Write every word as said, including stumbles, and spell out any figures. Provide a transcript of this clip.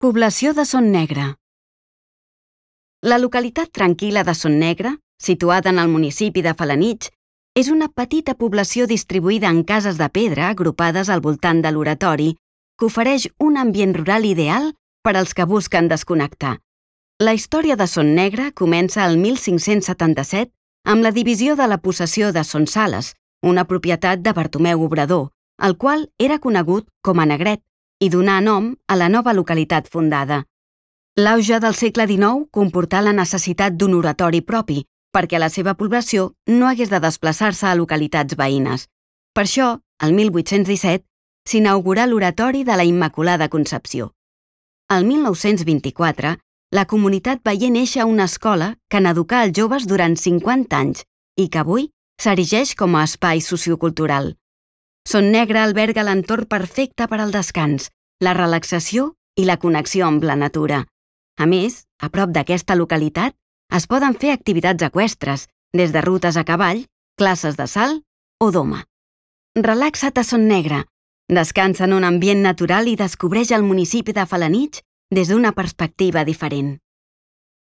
Població de Son Negre. La localitat tranquil·la de Son Negre, situada en el municipi de Felanitx, és una petita població distribuïda en cases de pedra agrupades al voltant de l'oratori, que ofereix un ambient rural ideal per als que busquen desconnectar. La història de Son Negre comença el mil cinc-cents setanta-set amb la divisió de la possessió de Son Sales, una propietat de Bartomeu Obrador, el qual era conegut com a Negret, i donà nom a la nova localitat fundada. L'auge del segle dinou comportà la necessitat d'un oratori propi, perquè la seva població no hagués de desplaçar-se a localitats veïnes. Per això, el mil vuit-cents disset, s'inaugurà l'Oratori de la Immaculada Concepció. El mil nou-cents vint-i-quatre, la comunitat veié néixer una escola que n'educà els joves durant cinquanta anys i que avui s'erigeix com a espai sociocultural. Son Negre alberga l'entorn perfecte per al descans, la relaxació i la connexió amb la natura. A més, a prop d'aquesta localitat, es poden fer activitats eqüestres, des de rutes a cavall, classes de salt o doma. Relaxa't a Son Negre, descansa en un ambient natural i descobreix el municipi de Felanitx des d'una perspectiva diferent.